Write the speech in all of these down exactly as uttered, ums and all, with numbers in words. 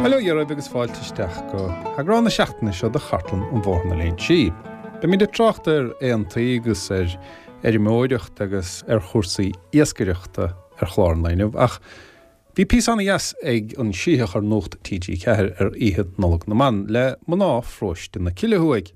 Bail ó Dhia oraibh agus fáilte isteach go heagrán na seachtaine seo de Chartlann an Bhóthair na Léinsí. Beimid ag trácht ar aontaí agus ar fheirmeoireacht agus ar chúrsaí iascaireachta ar chlár an lae inniu, ach bhí píosa ana-dheas ag an Sítheach ar Nuacht T G Ceathair ar Oíche Nollag na mBan le mná Pharóiste na Cille Thuaidh.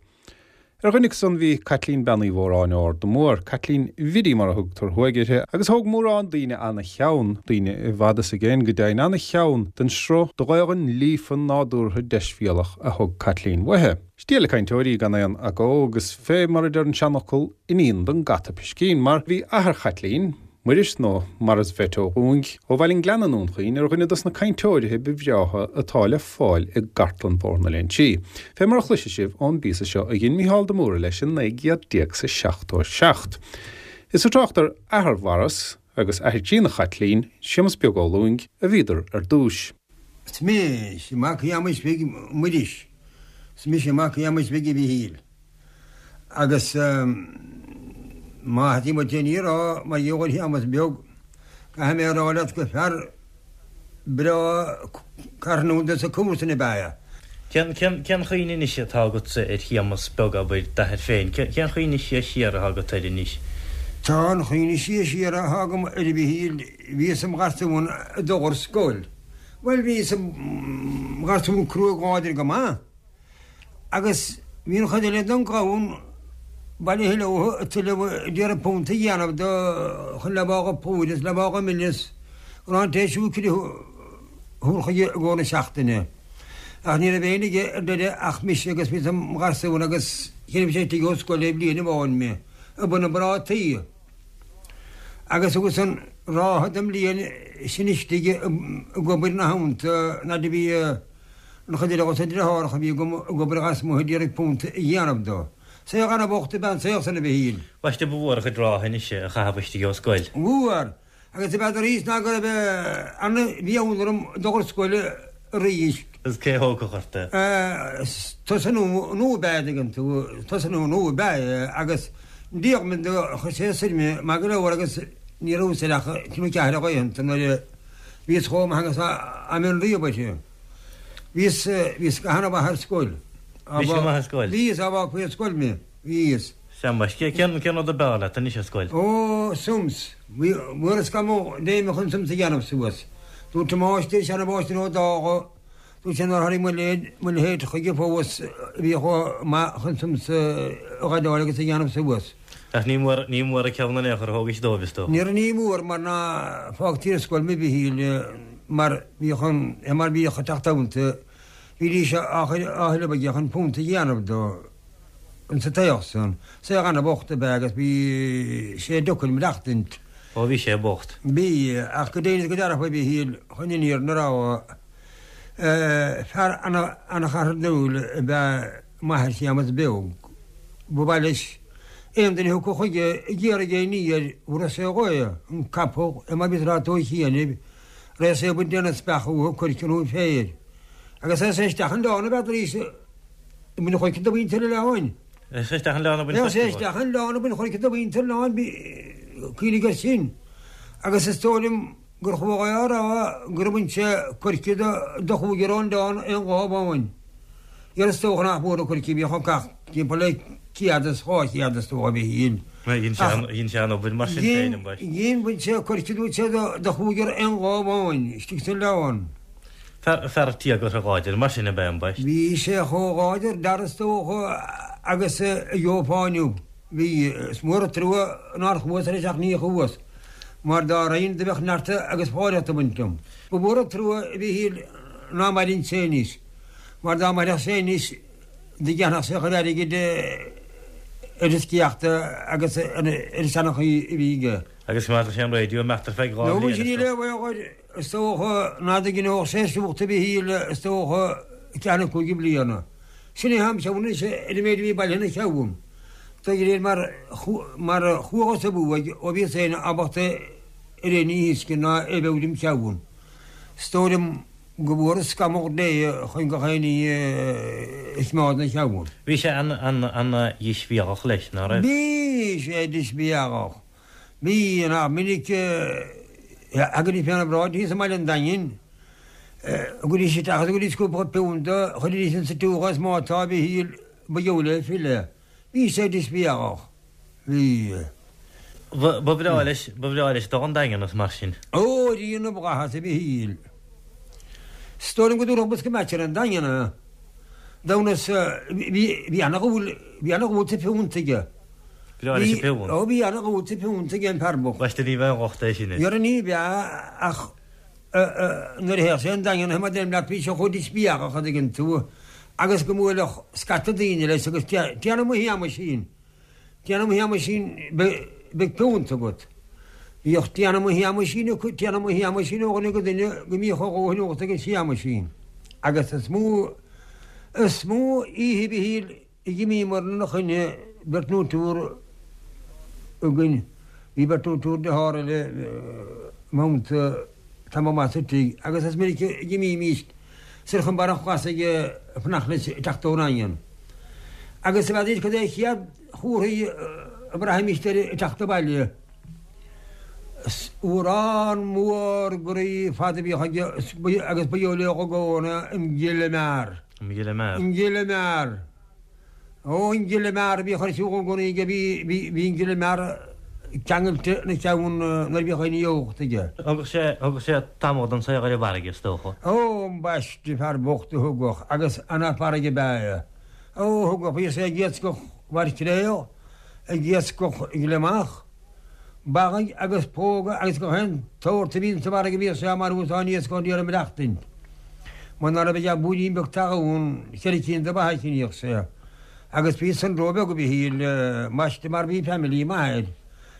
Ar dhuine acu san bhí Caitlín Bean Uí Mhóráin ó Ard na Mór, Caitlín Bhiddy mar a thugtar thuaidh uirthi, agus thóg mórán daoine ana-cheann, daoine i bhfad is i gcéin go deimhin, ana-cheann den sruth de Ghaelainn líofa nádúrtha deisbhéalach a thug Caitlín uaithi. Stialla cainteoir í gan aon agó agus fé mar a deir an seanfhocal, iníon don gcat a piscín, mar bhí athair Chaitlín, Muiris nó Maurice Bheit Ó Dhúing, ó Bhaile an Ghleanna i nDún Chaoin, ar dhuine dos na cainteoirithe ba bhreátha atá le fáil i gcartlann Bhóthar na Léinsí. Fé mar a chloisfidh sibh ón bpíosa seo a dhein Mícheál de Mórdha leis in naoi gcéad déag is a seachtó a seacht. Is ag trácht ar athair Mhaurice agus athair críonna Chaitlín, Séamus Beag Ó Lúing, a bhíodar ar dtúis. Is mise mac Shéamuis Bhig Muiris, is mise mac Shéamuis Bhig a Mhichíl. Agus má thosaigh muid féin á rá mar gheall ar Shéamus Beag, caithfidh mé a rá leat gur fear breá carthanúil dos na comharsana ab ea é. Cén cén chuimhne anois atá agatsa ar Shéamus Beag, abair, d'athair féin? Cén chuimhne siar siar atá agat air anois? Tá an chuimhne siar siar atá agam air, a Mhichíl, bhíos im gharsún ag dul ar scoil. Bhuel, bhíos im gharsún cruaidh láidir go maith. Agus bhí an chuid eile den gclann bailithe leo ag tuilleamh ag iarraidh punt a dhéanamh do chun leaba dho plúr is leaba dho mil is go raibh an té siúcra a thabhairt chuige i gcomhair na seachtaine. Ach ní raibh éinne aige ar deireadh ach mise agus bhíos im gharsún agus chinn sé istigh ó scoil le bliain amháin mé ag bun na bprátaí. Agus thugas an ráithe den mbliain sin istigh ag obair ina theannta nuair a bhí an chuid eile dos na deartháireacha a bhí agam ag obair lasmuigh ag iarraidh punt a dhéanamh dó. Saoth ana-bhocht ab ea an saol san, a Mhichíl. Ambaiste, ba mhór a chuid rátha anois a chaitheamh istigh ó scoil. Mhór, agus ab fheadar arís ná go raibh ana-mheon orm dul ar scoil arís. Agus cé a thógfadh ort é? Tosnú nua ab ea é, dtuigeann tú, tosnú nua ab ea é agus Diarmaid do chuir sé soir mé maith go leor agus ní rabhas air ach trí nó ceathair de laethanta nuair a bhíos chomh maith agus a mbeinn riamh uirthi. Bhíos, bhíos go hana-mhaith ar scoil. Bhís go maith ar scoil? Bhíos, dá bhfágfaí ar scoil mé, bhíos. Sea, ambaiste, cén, cén rud ab fhearr leat anois ar scoil? Ó, sums. Bhí, mhór an scamall léime chun sums a dhéanamh suas. Dúirt an máistir, seana-mháistir Ó Dálaigh, Dúirt sé nár tháinig mo leithéid, mo leithéid chuige fós a bhí chomh maith chun sums a ghaibheáil agus a dhéanamh suas. Ach ní mór, ní mór an ceann in aon chor a thógaint dóibh, is dócha. Níor, ní mór mar ná fágtaí ar scoil mé, a Mhichíl, mar bhíodh an, mar bhíodh ag teacht iontu, bhídís á chur, á thuilleamh aige chun punt a dhéanamh dó insa tsaol san. Saol ana-bhocht ab ea agus bhí sé deacair maireachtaint. Ó, bhí sé bocht. Bhí, ach go deimhin is go dearfa, a Mhichíl, chun an fhírinne a rá, Fear ana-charthanúil ab ea m'athair Séamus Beag. Ba mhaith leis aon duine a thiocfadh chuige ag iarraidh aon ní air, thabharfadh sé dhó é, an capall, é mar bhíos ag rá dó chianaibh, raghadh sé ag baint déanamh speach uathu, coirce nó féir. Agus raghadh sé isteach an oileán a bheadh arís ag baint choirce do mhuintir an oileáin. Raghadh sé isteach an oileán ag baint choirce. Raghadh sé isteach an oileán ag baint choirce do mhuintir an oileáin, cuimhnigh air sin. Agus is dóigh liom gur chuala é á rá gur bhain sé coirce do chúigear ón oileán aon lá amháin. Dhera is dócha nach mór na coirce a bhíodh á gcaitheamh timpeall le céad is dhá chéad is dócha a Mhichíl. Dhein sé an obair mar sin féin, ambaiste. Dhein, bhain sé coirce dúirt sé do chúigear aon lá amháin istigh san oileán. Fear, fear tíogartha láidir mar sin ab ea ambaiste. Bhí sé chomh láidir dar is dócha agus a gheofá inniu. Bhí, is mór an trua nár chuas leis ach ní chuas. Mar dá raghainn do bheadh neart agus fóillíocht ag baint liom. Ba mhór an trua, a Mhichíl, ná maireann sé anois, mar dá mairfeadh sé anois do dhéanfadh sé a chuid airgid ar an sciath agus ar an seanchaí a bhí aige. Agus choimeádfadh sé an raidió imeacht ar feadh dhá Nó bhliain, sin is níl dócha. aon bhaol air, is dócha, ná do ghnóthódh sé siúcra, a Mhichíl, is dócha, ceathair nó cúig bliana. Sin é am cheann anois ar an méid a bhí bailithe ina cheann. De réir mar mar chuathas i mbuaidh ó bhíos féin ábalta ar aon ní a thuiscint ná é bheith im cheann. Is dóigh liom go bhfuair an scamall Dé chun gach aon ní a choimeád ina cheann. Bhí sé ana-dheisbhéalach leis, ná raibh? Bhí sé deisbhéalach. Bhí, nach minic a thagaidís féna bhráid thíos i mBaile an Daingin. Thugaidís isteach agus thugaidís cúpla piúnta, chuiridís insa tiúch é is má tá, a Mhichíl, ba gheall le file. Bhí sé díspeagach. Bhí. Ba bhreá leis, ba bhreá leis dul 'on Daingean is mar sin. Ó, Rí na bhFlaitheas, a Mhichíl. Is dóigh liom go dtabharfadh bosca meaits ar an Daingean é. Damhnas, bhí, bhí ana-dhúil, bhí ana-dhúil sa phiúnt aige. Bhreá leis an bpiúnt. Ó, bhí ana-dhúil sa phiúnt aige an fear bocht. Baisteadh ní bheadh locht air sin. Dhera ní bheadh ach nuair a théadh sé 'on Daingean, mar deirim leat, bhí sé chomh díspeagach, a' dtuigeann tú, agus go mbuailfeadh scata daoine leis agus déanamh mo Shéamaisín, déanamh mo Shéamaisín, beidh piúnt agat. Bhíodh déanamh mo Shéamaisín acu, déanamh mo Shéamaisín ó dhuine go duine go mbíodh a dhóthain ólta ag an Séamaisín. Agus is mó, is mó oíche a Mhichíl a d'imíomar ina choinne, beirt nó triúr againn, bhí beirt nó triúr dearthár eile manta tamall maith sa tigh, agus is minic a d'imímíst soir chun Barr an Chlasaigh ag fanacht leis ag teacht ón nDaingean. Agus n'fheadair cad é an chéad chomhartha a bhraithimíst air ag teacht abhaile. Is uarán mór groí fada a bhíodh aige agus ba gheall le i gcónaí an gile mear. An gile mear. An gile mear. Ó, an gile mear a bhíodh ar siúl i gcónaí aige, bhí an gile mear ceangailte ina cheann nuair a bhíodh aon fhuacht aige. Thugadh sé, thugadh sé tamall den saol ar an bhfarraige, is dócha. Ó, ambaiste, fear bocht a thugadh, agus ana farraige ab ea é. Ó, thugadh, bhíodh sé ag iascach mhaircréal, ag iascach gliomach, bagaidh agus póga agus gach aon tsórt a bhíonn sa bhfarraige bhíodh sé á marú is á n-iascach ní raibh maireachtaint. Muna raibh aige ach búirín beag talún, ceithre cinn de ba a chinnfeadh sé. Agus bhí san róbheag a Mhichíl, ambaiste mar bhí family maith air.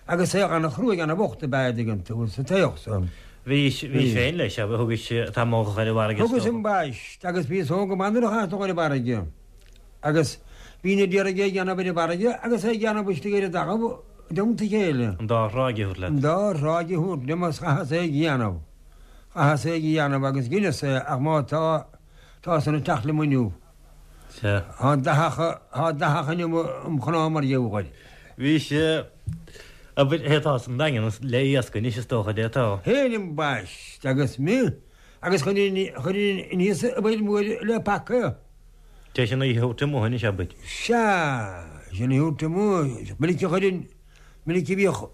Agus é ana-chruaidh ana-bhocht ab ea é, an dtuigeann tú, sa tsaol san. Bhís, bhís féin leis, abair, thugais tamall ar an bhfarraige is Thugas dócha. ambaiste, agus bhíos óg go maith nuair a chaitheas dul ar an bhfarraige. Agus bhínn a d'iarraidh é a dhéanamh ar an bhfarraige agus é a dhéanamh istigh ar an dtalamh i dteannta a chéile. An dá thráigh a thabhairt leat. An dá thráigh a thabhairt liom agus chaitheas é a dhéanamh. Chaitheas é a dhéanamh agus dheineas é ach má tá, tá san ag teacht liom inniu. Sea. Tá dathach, tá dathach inniu im chnámha mar gheall air. Bhí sé, abair, hé tá san Daingean le iasc anois is dócha dé tá. Féin ambaiste agus mé agus chuirfinn, chuirfinn aníos an bhfuil mór le paca. Té sin í thabhairt amuigh anois abair. Sea, sin í thabhairt amuigh. Minic a chuirfinn, minic a bhíodh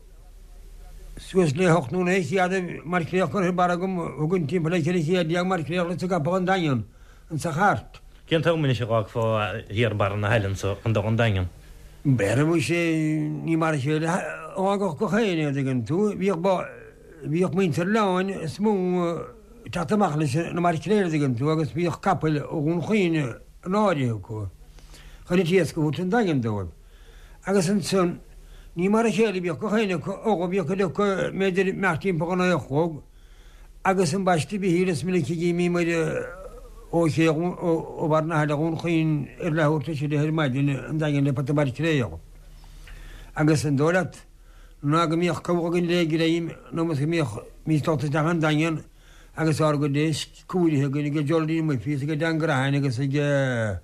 suas le hocht nó naoi chéad maircréal curtha ar barr agam, thugainn timpeall le ceithre chéad déag maircréal sa gcapall an Daingean, insa chairt. Cén t-am anois a dh'fhágfá thiar barr na haille anso chun dul 'on Daingean? B'fhéidir muise, ní mar a chéile a fhágadh gach éinne, an dtuigeann tú. Bhíodh ba, bhíodh muintir Leáin is mó ag teacht amach leis na maircréil, an dtuigeann tú, agus bhíodh capaill ó Dhún Chaoin in áirithe acu chun an t-iasc a thabhairt 'on Daingean dóibh. Agus ansan, ní mar a chéile a bhíodh gach éinne acu, ó bhíodh cuid acu b'fhéidir imeacht timpeall a naoi a chlog, Agus ambaiste a Mhichíl is minic a d'imíomar ó ché ó bharr na haille Dhún Chaoin ar leathuair tar éis a deich ar maidin 'on Daingean le pota maircréal. Agus an dóigh leat ná go mbíodh cabhair againn le greim nó go mbíodh bhímis dulta isteach 'on Daingean agus ár gcuid éisc cóirithe againn ag Jolly Murphy is ag Dan Grehan agus ag ag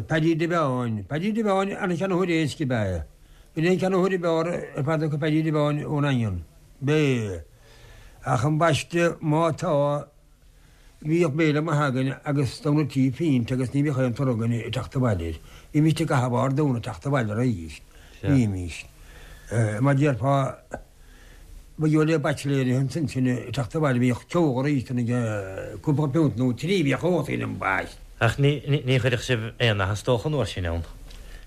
Paddy de Bheáin. Paddy de Bheáin ana-cheannaitheoir éisc ab ea é. B'in é an ceannaitheoir ab fhearr ar fad acu Paddy de Bheáin ón nDaingean. B'é. Ach ambaiste má tá, bhíodh béile maith againn agus damhna trí phínte agus ní bhíodh aon toradh againn ag teacht abhaile air. Bhímíst ag caitheamh ár dtóna ag teacht abhaile arís. Bhímíst. Mar déarfá, ba gheall le baitsiléirí ansin sinn ag teacht abhaile, bhíodh ceol arís ag cúpla piúnt nó trí bhíodh ós againn ambaiste. Ach ní chuirfeadh sibh aon nath is dócha an uair sin ann?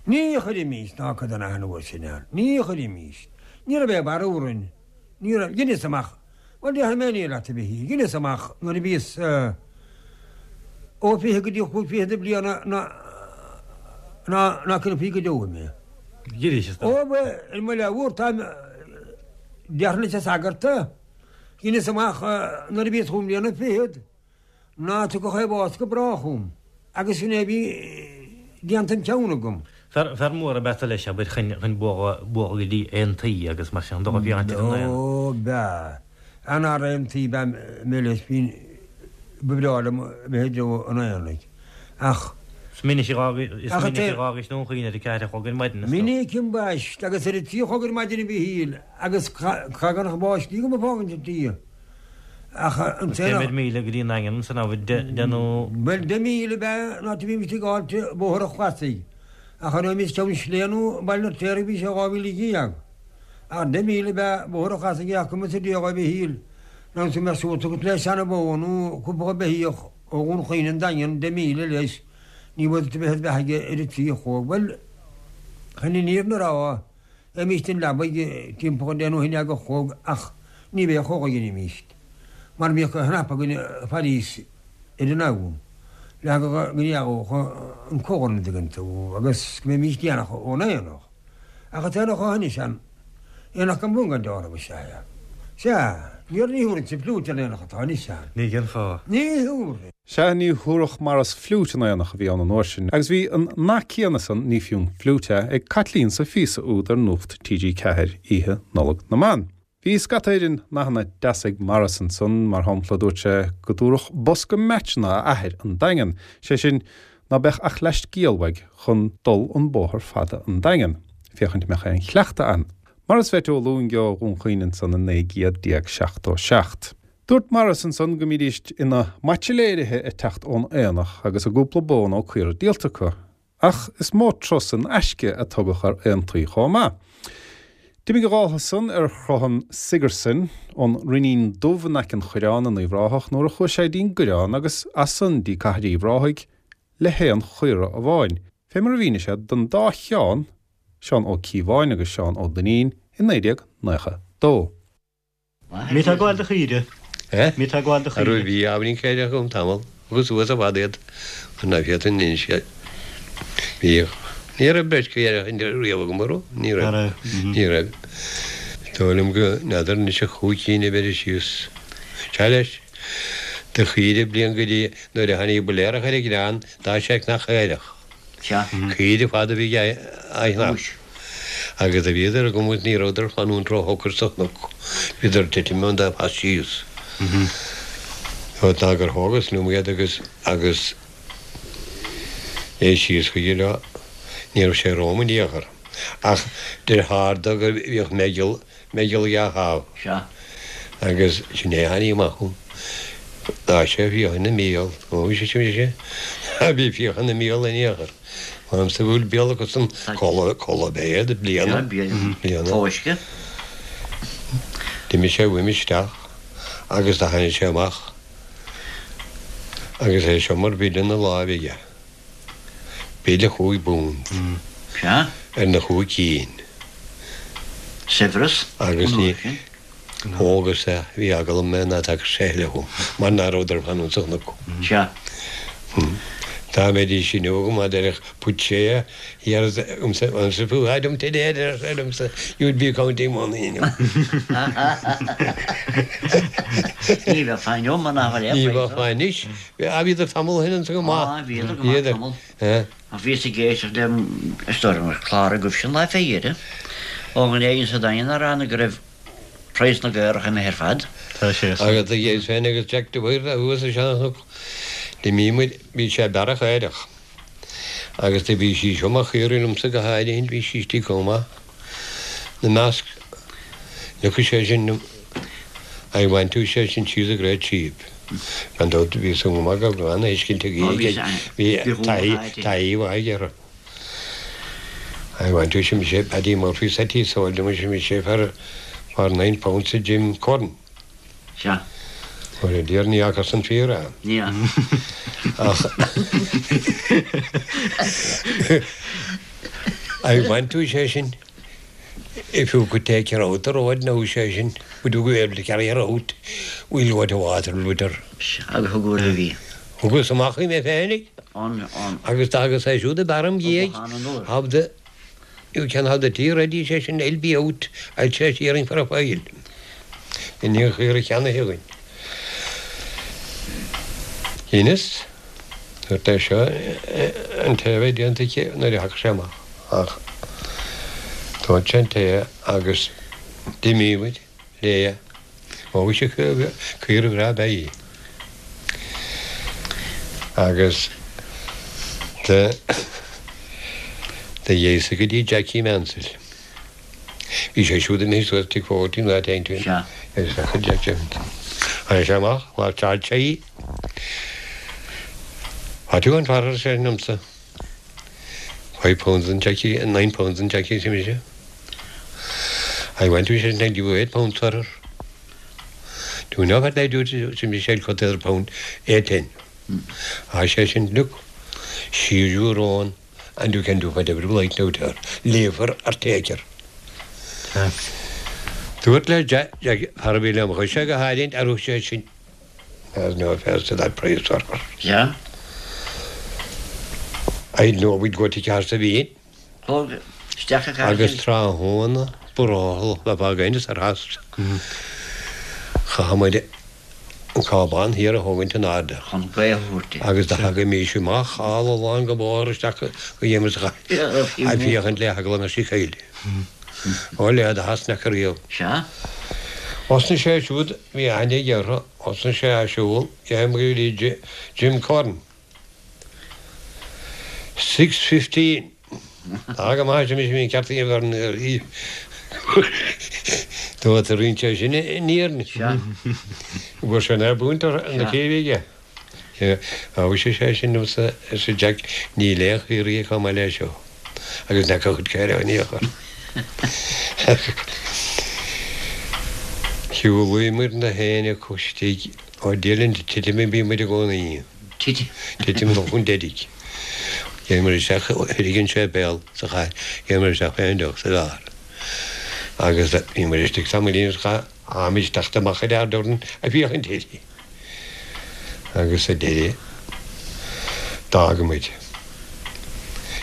Ní chuirimíst ná cuid den nath an uair sin ann. Ní chuirimíst. Ní raibh aon bharr orainn. Ní raibh. Dheineas amach. Bhuel, déarfaidh mé ní leat a Mhichíl. Dheineas amach nuair a bhíos ó fiche go dtí chúig fichid de bhliana ná ná ná caillfí go deo mé. Dheineas is Ó, bhuel, ar mo leabhar táim déarfainn leis an sagart. Dheineas amach nuair a bhíos chúig mbliana fichead. Ná tiocfadh aon bhás go brách chugam. Agus sin é a bhí déanta im cheann agam. Fear, fear mór ab ea tú leis, abair, chun, chun bualadh, bualadh go dtí aontaí agus mar sin, dul a bhí an aon. Ó, b'ea. An-fhear aontaí ab ea mé leis, bhí, ba bhreá liom a bheith i dtreo an aonaigh. Ach. Is minic a dh'fhág, is minic a dh'fhágais Dún Chaoin ar a ceathair a chlog ar maidin, is dócha. Minic ambaiste, agus ar a trí a chlog ar maidin a Mhichíl, agus caithfidh go raibh báistí agam ag fágaint an tí. Ach an Cé mhéad míle go dtí an Daingean san am, deich nó. Bhuel, deich míle ab ea an áit a bhímis ag gabháil Bóthar an Chlasaigh. Ach an raibh Ceann Sléibhe nó Baile an Fheirtéaraigh bhí sé dhá mhíle dhéag. Ach deich míle ab ea Bóthar an Chlasaigh ach cumas a déag a Mhichíl ná go mbeadh suas agat le seana-bhó nó cúpla beithíoch ó Dhún Chaoin an Daingean deich míle leis ní bhfuil tú bheith beatha aige ar a trí a chlog. Bhuel, chun an fhírinne a rá, bheimíst in leabaidh timpeall an deich nó a haon déag a chlog ach ní bheadh chomh dheinímíst mar bhíodh a chnap againn failís ar an am le go ndeagódh an comhar an dtuigeann tú agus go mbeimíst déanach ón aonach. Ach an t-aonach ó shoin is aonach gan bun gan dealramh is ea é. Sea, níor ní thabharfainnse fliúit ar an aonach atá anois ann. Ní cén fáth? Ní thabharfainn. Sea, ní thabharfadh mar is fliúit an aonach a bhí ann an uair sin, agus bhí an nath céanna san, ní fiú an fliúit é, ag Caitlín sa phíosa úd ar Nuacht T G ceathair oíche Nollag na mBan. Bhí scata éigin nathanna deasa ag Maurice ansan, mar shampla dúirt sé go dtabharfadh bosca meaitseanna a athair an Daingean, sé sin ná beadh ach leathscéal uaidh chun dul an bóthar fada an Daingean, féachaint mbeadh aon chleachtadh ann. Maurice Mheaití Ó Lúing ó Dhún Chaoin ansan i naoi gcéad déag seachtó seacht. Dúirt Maurice ansan go mbídíst ina mbaitsiléirithe ag teacht ón aonach agus a gcúpla bó nó caora díolta acu, ach is mó turas in aisce a tugadh ar aontaí chomh maith. D'imigh a dháltha san ar shruthán Sigerson ón Rinnín Dubh in aice an Choireáin in Uíbh Ráthach nuair a chuaigh sé dtí'n gCoireán agus as san dtí Cathair Uíbh Ráthaigh le haon chaora amháin, fé mar a mhínigh sé don dá Sheán, Seán Ó Cíobháin agus Seán Ó Duinnín, i naoi déag nócha dó. Mí tá gabháil do chaoire. Eh? Mí tá gabháil do Arú chaoire. bhí ábhairín caorach agam tamall, agus suas i bhfad iad, mar ná féadfainn inse. Bhíodh. Ní raibh beirt chaorach riamh agam, an raibh? Ní raibh. Ní raibh. Ní raibh. Is dóigh liom go n'fheadar anois ach chúig cinn a bheireadh síos. Sea leis. Do chaoire bliain go dtí nuair a tháinig builéarach ar an gcrann, d'fhág sé cnach caorach. Sea. Caoire fada a bhí aige á chnap. Agus a bhíodar agam agus ní rabhadar ag fanúint róshocair sa chnoc. Bhíodar ag titim ón dá phas síos. Ná gur thógas liom iad agus agus é síos chuige leo. Ní raibh sé romham in aon chor. Ach deartháir dó go bhíodh meigeall, meigeall dhá thaobh. Sea. Agus sin é a tháinig amach chugam. D'fhág sé fiacha ina mbéal. Ó, bhí sé sin, bhí sé. Bhí fiacha ina mbéal in aon chor. M'anamsa go bhfuil béal acu san codladh, codladh béad, bliana. Sea, bliana. Bliana. Fóisce. D'imigh sé uaim isteach agus do tháinig sé amach agus é seo mar bhille ina láimh aige. Bille chúig bpunt. Sea. Ar na chúig cinn. Saibhreas. Agus an ní uair sin. Thógas é, bhí eagla orm ná tagadh sé eile chugam, mar ná rabhadar fanúint sa chnoc. Sea. Dá mbeidís inniu agam, a déarfadh, put sé here um if you had him today, a deir liomsa, you'd be counting money inniu. Ní bheadh fáin inniu mar nach bhfuil aon Ní phraghas bheadh fáin anois. Ah, bhíodar tamall ó shin anso go maith. Ah, bhíodar go maith Bhíodar. tamall. Eh. Ach bhíos ag éisteacht le is dóigh liom gur clár agaibhse an lá fé dheireadh. Ó an éigin sa Daingean a rá go raibh praghas na gcaorach imithe ar fad. Tá sé. Agus do ghéill féin agus Jack de Bhaoir thuas i Seanchnoc. D'imigh muid, bhí sé bearach aerach. Agus do bhí sí seo mar chaora liomsa go háirithe, bhí sí istigh chomh maith. Na measc, look sé sin, I went to sé sin she's a great sheep. Gan dabht bhí san go maith go raibh an-fheiscint ag Ó, bhí í, sé- bhí bhí chomh taithí, maith aici. taithí mhaith aige. I went to sin sé Paddy Murphy said he sold him sin sé for for nine pounds to Jim Curran. Sea. Ó dear ní fhacas an fear é. Ní fhaca. Ach I went to sé sin if you could take her out the road now sé sin would you be able to carry her out we'll go to Waterloo with her. Agus thug uair a bhí. Thugas amach í mé féinig. An an Agus agus é siúd a bearm dhiaidh. An an uair. Have the you can have the tea ready sé sin I'll be out I'll say hearing for a while. In ní chuir cheanna thugainn. Inis dúirt é seo an tae bheith déanta aici nuair a thagadh sé amach ach dúirt sé an tae agus d'imigh muid léi. Ó bhí sé caora bhreá ab ea í. Agus de de dhéasa go dtí Jackie Mansell. Bhí sé siúd imithe suas tigh Fogarty nó áit éigin. Sea. Is fecha Jack James. Tháinig sé amach, mharcáil sé í. What do you want for her, ar seisean liomsa. Five pounds and Jackie, nine pounds and Jackie, arsa mise. I want to, ar seisean, I'll give you eight pounds for her. Do you know what I do, arsa mise, I'll cut the other pound, eight ten. Ar seisean, look, she's your own and you can do whatever you like now to her. Leave her or take her. Dúirt le Jack, fear a bhí lem chois go háirithe, ar thug sé sin There's no offence to that price for her. Yeah. I know we'd go to Cahersiveen. Thóg isteach a Agus tráthnóna brothall le bheith againn ar theas. Chaith muid an cábán thiar a thógaint in airde. Chun gaoth a thabhairt di. Agus do thagaimís amach all along an bóthar isteach go dhéanamh sa chathair. Ag féachaint le heagla na sí chéile. Ó le do theas nach riamh. Sea. Thosnaigh sé siúd, bhí aithne aige orthu, thosnaigh sé á siúl, dhein go dtí Jim Curran. Six fifteen. Tá go maith, arsa mise, bhí an ceart ag an bhfear Dúirt a roinnt sé sin in Éirinn. Sea. Bhfuair sé an air buaint ar na céibh aige. Bhuaigh sé sé sin liomsa, arsa Jack, níl aon chaoirigh chomh maith leis seo. Agus nach a chuid caoirigh in aon chor. Shiúlaíomar na héinne acu istigh ó Dillon titim a bhí muid i gcónaí. Titim. Titim dul chun deiridh. Gheibheamar isteach thoir an séipéal sa chathair, gheibheamar isteach féin deoch sa bheár. Agus bhí muid istigh tamaillín is chaith tháimid teacht amach ar Ardorn ag féachaint uirthi. Agus sa deireadh d'fhága muid.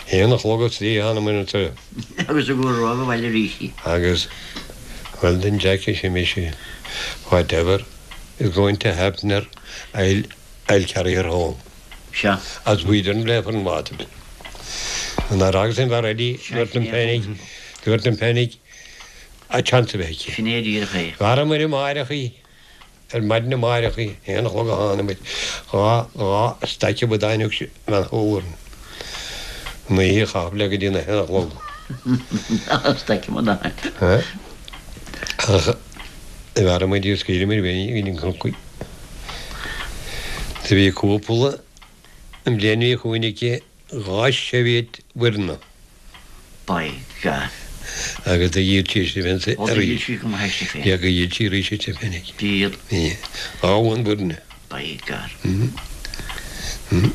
Haon a chlog is trí thánamair anseo. Agus a gcur roimh abhaile arís í. Agus well then Jack arsa mise, whatever is going to happen her, I'll, I'll carry her home. Sea. As we didn't play for an bhátail. An ar agus an bhfear eile, dúirt an Penick, dúirt an Penick, a chance a bheith aici. Sin é díreach é. Bhearramair amáireach í. Ar maidin amáireach a haon a chlog a tháinig muid, dhá, dhá staic amadáin thug sé bhean Shúilleabháin. An oíche a chaitheamh le go dtí na haon a chlog. Dhá staic amadáin. Ach bhearr muid í scaoileadh muid féin go dtí an cnoc í. Do bhí cúpla an bhliain a bhí chugainn aici dhá seirbhéid mhuirne. By God. Agus do dhíol sí aisti féin Ó, do dhíol sí go maith aisti féin. Yeah, go dhíol sí arís aisti féin. Díol. Yeah. Dhá mhóin mhuirne. By God.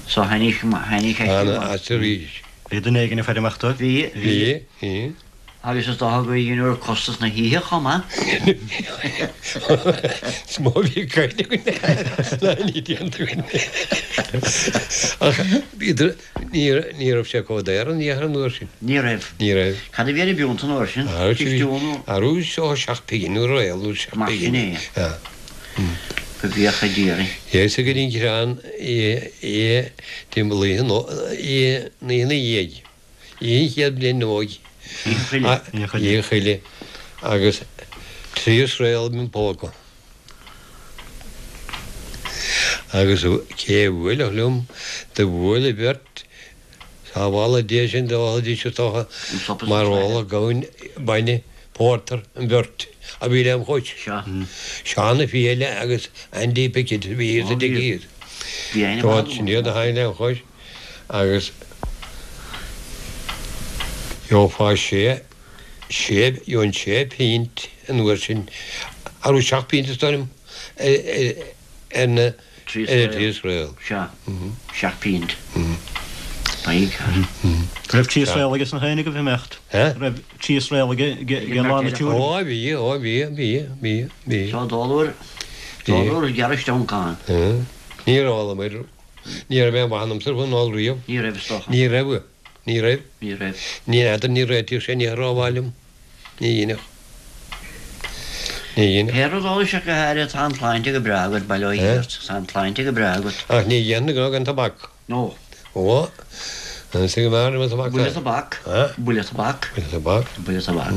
So tháinig, tháinig aisti. Ana, aisti arís. Bhí duine éigin ag faire amach dóibh? Bhí. Bhí, bhí. Agus is dócha gur dheineadar costas na hoíche chomh maith. Is mó a bhí caite againn ná a bhí déanta againn. Ach bhíodar, ní raibh sé chomh daor an iarthar an uair sin. Ní raibh. Ní raibh. Cad a bhí ar an bpiúnt an uair sin? Cistiú nó? Arú ó seacht bpingin nó réal nó seacht Mar sin bpingin. é. Yeah. Go bhféacha d'iarraidh. Dheis go dtí an crann é timpeall oíche nó oíche na dhiaidh. Oíche an chéad bhliain óig. Oíche Choille. Oíche Choille. Agus trí sraoill im phóca. Agus cé a bhuailfeadh liom, do bhuail an bheirt sábhála Dé sinn d'ólfaidís is dócha mar óladh gamhain bainne pórtar an bheirt a bhí lem chois. Seán a' Fiaile agus Andy Pickett a bhí thíos i dtigh thíos. Dóibh sin iad a tháinig lem chois agus gheofá sé, sé, gheobhainn sé phint an uair sin, arú seacht bpint is dóigh liom, ar na, ar na trí sraoill. Sea, seacht bpint. By God. Raibh trí sraoill aige sna héinne agaibh ag imeacht? Raibh trí sraoill aige ag lá na tiúir? Ó bhí, ó bhí, bhí, bhí, bhí. Seo dólúr, dólúr gearr isteach ann. Níor ólamar, ní raibh aon mhaith ionamsa faoin ól riamh. Ní raibh is dócha. Ní raibh. Ní raibh. Ní raibh. Ní fheadar, ní réitíodh sé ní rómhaith liom. Ní dhéanfadh. Ní dhéanfadh. Pé rud ólais ach go háirithe, tá an tsláinte go breá agat, bail ó Dhia ort. Tá an tsláinte go breá agat. Ach ní dhéanfainn gnó gan tobac. No. Ó, an is go mb'fhearr liom an tobac. Buille tobac. Buille tobac. Buille tobac. Buille tobac.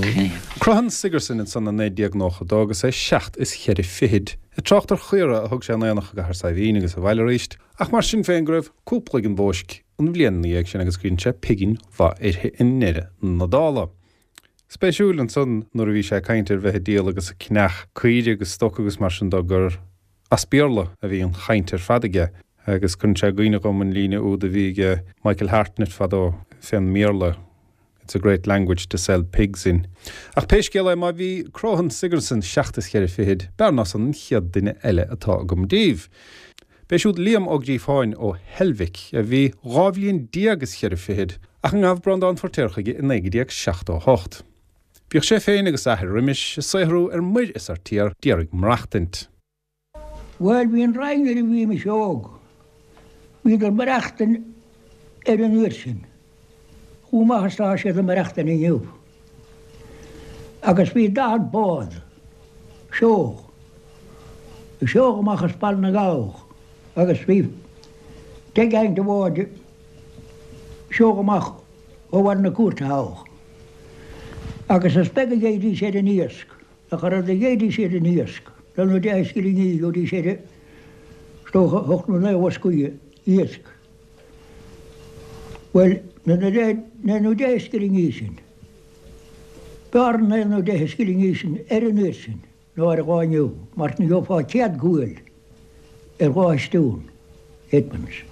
Crochán Sigerson ansan i naoi déag nócha dó agus é seacht is cheithre fichid. Ag trácht ar chaora a thug sé in aonach i gCathair Saidhbhín agus abhaile arís, ach mar sin féin go raibh cúpla ag an bhóisc an bhliain ina dhiaidh sin agus gur dhein sé pingin mhaith uirthi i ndeireadh na dála. Spéisiúil ansan nuair a bhí sé ag caint ar bheith ag díol agus ag ceannach caoire agus stoc agus mar sin dó gur As Béarla a bhí an chaint ar fad aige agus cuireann sé i gcuimhne dhom an líne úd a bhí ag Michael Hartnett fadó fén mBéarla. It's a great language to sell pigs in. Ach pé scéal é má bhí Croghan Sigerson seacht is cheithre fichid, b'fhearr ná san an chéad duine eile atá agam daoibh. B'é siúd Liam Ó Gríofáin ó Heilbhic a bhí dhá bhliain déag is cheithre fichid ach a ngabh Breandán Feirtéar chuige i naoi déag seachtó a hocht. Bhíodh sé féin agus a athair roimis ag saothrú ar muir is ar tír d'iarraidh maireachtaint. Bhuel, bhí an Rinn nuair a bhí mise óg. Bhíodar ag maireachtaint ar an uair sin. Chomh maith is atá siad ag maireachtaint inniu. Agus bhí daichead bád seodh, ag seoladh amach as Baile na nGall agus bhí deich gceann de bháid ag seoladh amach ó Bhaile na Cúirte thall. Agus is beag a gheibhidís ar an iasc, ach an rud a gheibhidís ar an iasc, naoi nó deich scillingí, gheobhaidís air, is dócha, ocht nó naoi bhoscaí iasc. Bhuel, na naoi nó deich scillingí sin, b'fhearr na naoi nó deich scillingí sin ar an uair sin ná ar an lá inniu, mar ní gheofá céad gual ar dhá shisteún, eightpence,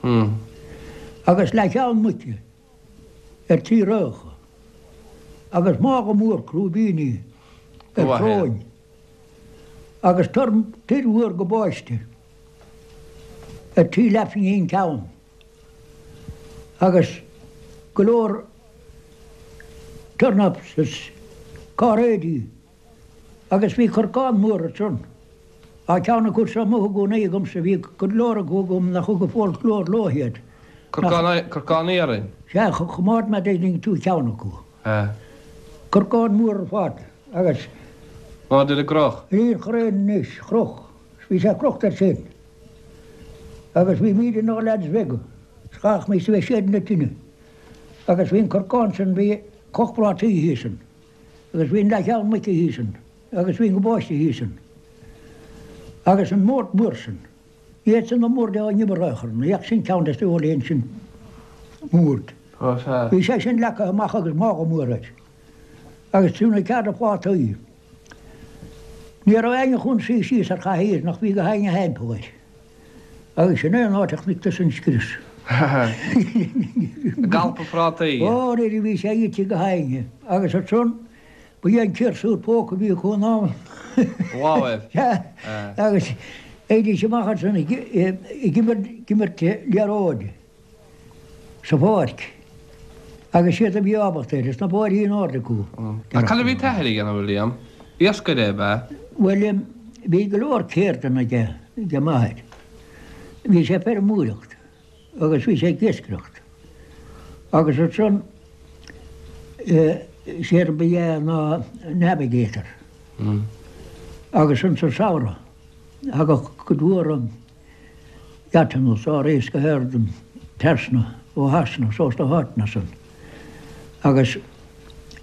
agus leathcheann muice ar trí rocha, agus mála mór crúibíní ar shróin, agus tuir mhór gabáiste ar trí leathphingin ceann. Agus go leor turnips is cairéidí agus bhí corcán mór ansan. Tá ceann acu seo amuigh i gcónaí agamsa, bhí go leor acu agam nach thug an folklore leo iad. Corcán, corcán iarainn? Sea, choimeád mé dtuigeann tú ceann acu. Sea. Corcán mór ar fad agus. Ná duine gcroch? Níor chuir aon anois, chroch. Bhí sé crochta air sin. Agus bhí míle inár leaids bheaga, 's chaithfimis a bheith ag séideadh na tine. Agus bhí an corcán san, bhí coch prátaí thíos ann, agus bhí an leathcheann muice thíos ann, agus bhí an gabáiste thíos ann. Agus an mord mór san, ní fhéadfadh na boird a n-iompar a chur, ní fheadh sin ceann des na heolaíonn sin mord. Bhí sé sin leagtha amach agus mála mór air. Agus trí nó ceathair de phlátaí. Ní raibh éinne chun suí síos ar chathaoir nach bhí go héinne thimpeall air. Agus sin é an áit a chonaic tusa an scrios. Ag alpadh prátaí. Ó, nuair a bhí sé ite go héinne. Agus ansan, ba é an ciarsúr póca a bhí acu in am. Láimh. Sea. Agus théidís amach ansan ag imirt liathróid. sa pháirc agus siad a bhí ábalta air, is na bóithrí in airde acu. Ach cad a bhí t'athair a dhéanamh, a Liam? Iascaire ab ea? Bhuel, bhí go leor ceirdeanna aige, ag m'athair. Bhí sé ag feirmeoireacht agus bhí sé ag iascaireacht. Agus ansan, séard ba ea ná navigator. Agus insa samhradh, thagadh cuid mhór yachtanna is ar iascaigh trasna ó Shasana is ós na háiteanna san agus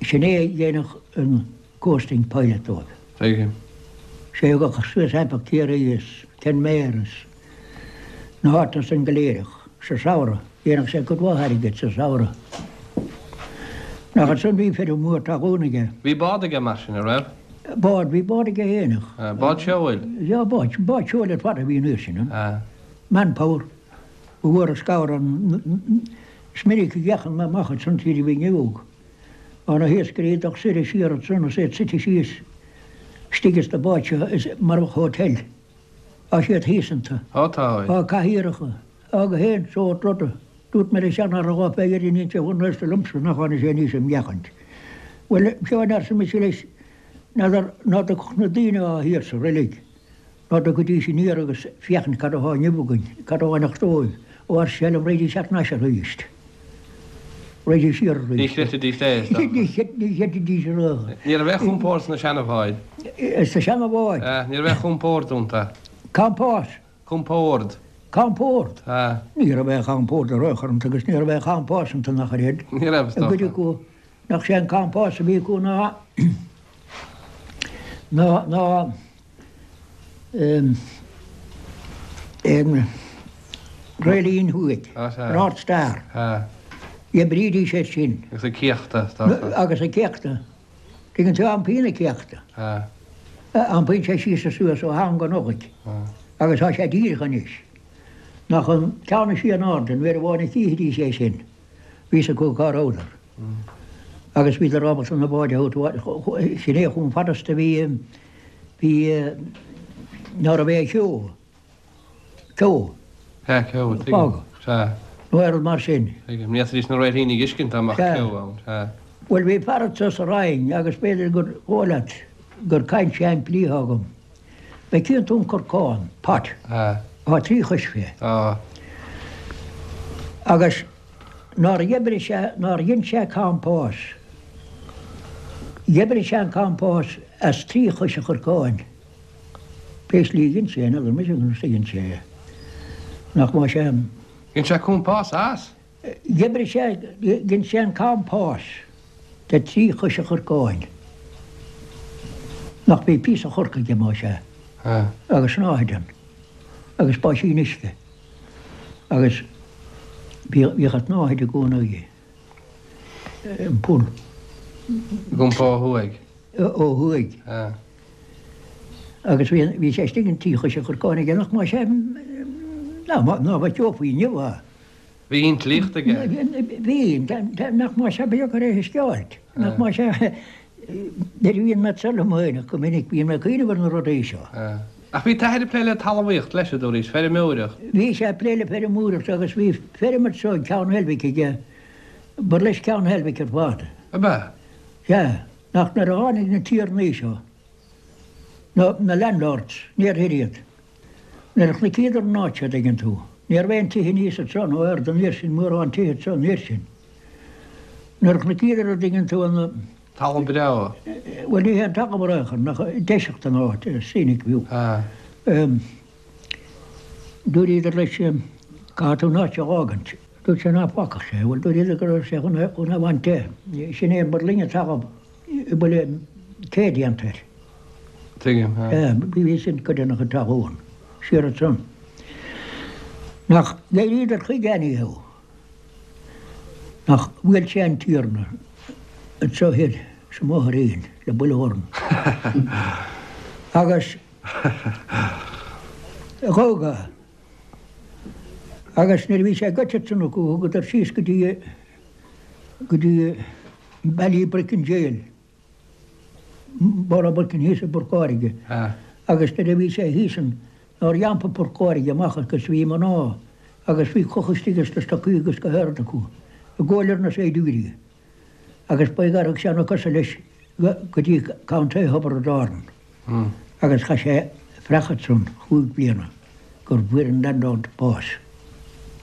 sin é a dhéanfadh an coasting pilot dóibh. Tuigim. Sé a ghabhadh suas thimpeall Ciarraí is Kenmare is na háiteanna san go léir ach sa samhradh dhéanfadh sé cuid mhaith airgid sa samhradh. Nach ansan bhí feirm mhór talún aige. Bhí bád aige mar sin, a raibh? Bád, bhí bád aige fhéineach. Bád seoil? Yeah, bád, bád seoil ar fad a bhí an uair sin ann. Manpower. Ba mhór an scabhar an, is minic a dheachaigh mé amach ansan nuair a bhínn óg. Tá na hiascairí ag dul soir is siar ansan is iad suite síos istigh ins na báid seo is mar a bheadh hotel. Tá siad thíos iontu. Ó tá. Tá cathaoireacha. Tá gach aon sórt ruda. Dúirt mé le seanfhear an lá fé dheireadh níl sé chun aosta liomsa nach tháinig sé aníos im fhéachaint. Bhuel, seo an arsa mise leis, n'fheadar ná dtiocfadh na daoine atá thiar sa reilig, ná dtiocfaidís aniar agus féachaint cad atá inniu againn, cad a fhanfadh dóibh, ó arsa sé liom, raghaidís thar n-ais arís. Raghaidís siar arís. Ní chreidfidís é, is dócha. Ní chreidfidís a rá. Ní raibh aon chompord sna seanabháid. Sna seanabháid? Ní raibh aon chompord iontu. Compás? Compord. Compord? Sea. Ní raibh aon chompord ar aon chor iontu agus ní raibh aon chompás iontu nach raibh. Ní raibh, is dócha. I gcuid acu, nach sé an compás a bhí acu ná, ná, ná, em, an Réiltín Thuaidh, Á, sea. North Star. Sea. D'oibrídís air sin. Agus ag céachtadh, is dócha. Agus ag céachtadh. Tuigeann tú, iompaíonn an céachtadh. Sea. Iompaíonn sé síos is suas ó am go Nollaig. Sea. Agus tá sé díreach anois. Nach an ceann is sia in airde, nuair amháin a chífidís é sin, bhí 'fhios acu cá rabhadar. Agus bhíodar ábalta na báid a thabhairt, sin é chomh fada is do bhí, bhí, ná raibh aon cheo, ceo. Sea, ceo, tuigim. Fágadh. Sea. Nó aon rud mar sin. Tuigim. Ní fhéadfaidís na réiltíní a fheiscint dá mbeadh Sea. ceo ann. Sea. Bhuel, bhí fear anso sa Rinn agus b'fhéidir gur dhóigh leat gur caint sheimplí atá agam. An gcíonn tú an corcán, pot, tá trí chois fé. Tá. Agus nár dh'oibrigh sé, nár dhein sé compás, dh'oibrigh sé an compás as trí chois an chorcáin. Pé slí a dhein sé é, n'fheadar mise conas a dhein sé é. Nach maith sé an. Dhein sé compás as? Dh'oibrigh sé, dhein sé an compás de trí chois an chorcáin. Nach bhí píosa chorc aige más ea, agus snáthaid ann, agus báisín uisce, agus bhíodh an tsnáthaid i gcónaí, an poll. Ag iompó ó thuaidh. Ó thuaidh. Agus bhí, bhí sé istigh in trí chois an chorcáin aige, nach más ea, ná, ná bheadh ceo faoi inniu, a. Bhí intlíocht aige. Bhí, nach más ea, ba dheacair é a thuisceáilt. Nach más ea, nuair a bhíonn mé anso liom féin, go minic bíonn mé ag cuimhneamh ar na rudaí seo. Ach bhí t'athair ag plé le talmhaíocht leis, a dúraís, feirmeoireacht. Bhí sé ag plé le feirmeoireacht agus bhí feirm anso ag Ceann Heilbhic aige, ba leis Ceann Heilbhic ar fad. Ab ea? Sea, nach nuair a tháinig na tiarnaí seo, na, na landlords, níor thoir iad. Nuair a chonaiceadar an áit seo, dtuigeann tú, ní raibh aon tithe aníos anso nó ard an uair sin, mórán tithe anso an uair sin. Nuair a chonaiceadar, a dtuigeann tú, an. Talamh breá. Bhuel, ní hé an talamh ar aon chor, ach deiseacht an áit, scenic view. Dúradar leis, caithfidh tú an áit seo a fhágaint. Dúirt sé ná fágfadh sé. Bhuel, dúradar go raibh sé chun é a bhaint de. Sin é mar linne talamh a bhfuil cé déanta air. Tuigim, sea. Bhí sin cuid de na chuid talún siar ansan. Nach d'éiríodar chuige anyhow. Nach bhuail sé an tiarna anso thoir sa mBóthairín le bullhorn. Agus dhódh é. Agus nuair a bhí sé goite ansan acu thugadar síos go dtí go dtí Ballybricken Jail. Ballybricken thíos i bPort Láirge agus nuair a bhí sé thíos ann nár iompaigh Port Láirge amach agus bhí mná agus bhí clocha istigh sna stocaí agus go hard acu ag gabháil ar na saighdiúirí agus ba é gur thug sé na cosa leis go dtí Contae Thiobraid Árann agus chaith sé fraoch ansan chúig bliana gur bhfuair an landlord bás.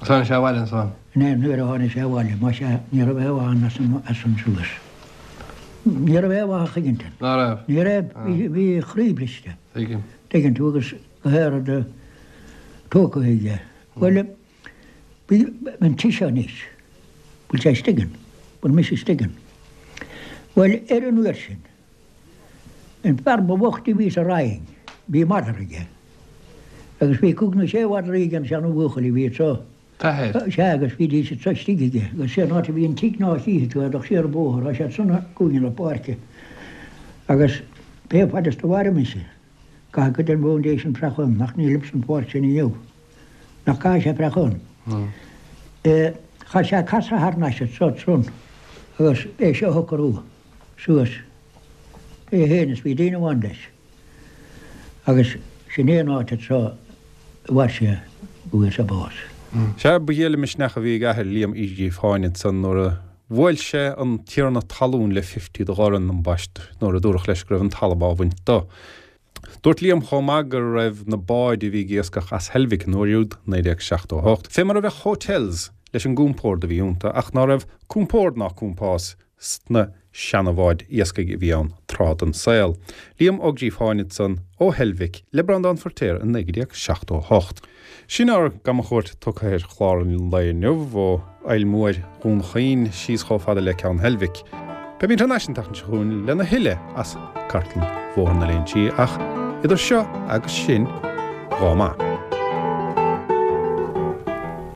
Agus tháinig sé abhaile ansan? Nuair a tháinig sé abhaile, más ea, ní raibh aon mhaith ann as san suas. Ní raibh aon mhaith a chuig ansin. Ná raibh? Ní raibh, bhí a chroí briste. Tuigim. Tuigeann tú, agus go háirid tógtha aige. Bhuel, bhí an tigh seo anois, bhfuil sé istigh ann, bhfuil mise istigh ann. Bhuel, ar an uair sin, an fear ba bhoichte a bhí sa Rinn, bhí madra aige. Agus bhí cúig nó sé mhadraí ag an seana-bhuachaill a bhí anseo. T'athair? Sea, agus bhídís anso istigh aige. Agus sé an áit a bhí an tigh ná chífidh tú é, ach siar an bóthar, tá sé ansan i gcúinne na páirce. Agus pé fad is do mhair mise, caithfidh cuid den bhfoundation freach ann, ach nílim san pháirc sin inniu. Nach gcaithfidh sé freach ann? Chaith sé casadh thar n-ais anso ansan agus é seo a shocrú suas é féin is bhí duine amháin leis. Agus sin é an áit anseo a mhair sé go bhfuair sé bás. Sea, ba ghéar le misneach a bhí ag athair Liam Uí Ghríofáin ansan nuair a bhuail sé an tiarna talún le fifty de dhorn ambaist nuair a dúradh leis go raibh an talamh á bhaint do. Dúirt Liam chomh maith go raibh na báid a bhí ag iascach as Heilbhic an uair úd, naoi déag seachtó a hocht, fé mar a bheadh hotels leis an gcompord a bhí iontu ach ná raibh compord ná compás sna seanabháid iascaigh a bhí ann tráth den saol. Liam Ó Gríofáin ansan ó Heilbhic le Breandán Feirtéar in naoi déag seachtó a hocht. Sin ár gcamchuairt tugtha ar chlár an lae inniu, ó Aill Mhóir Dhún Chaoin síos chomh fada le Ceann Heilbhic. Beimid thar n-ais an tseachtain seo chugainn lena thuilleadh as cartlann Bhóthar na Léinsí ach idir seo agus sin, dhá maith.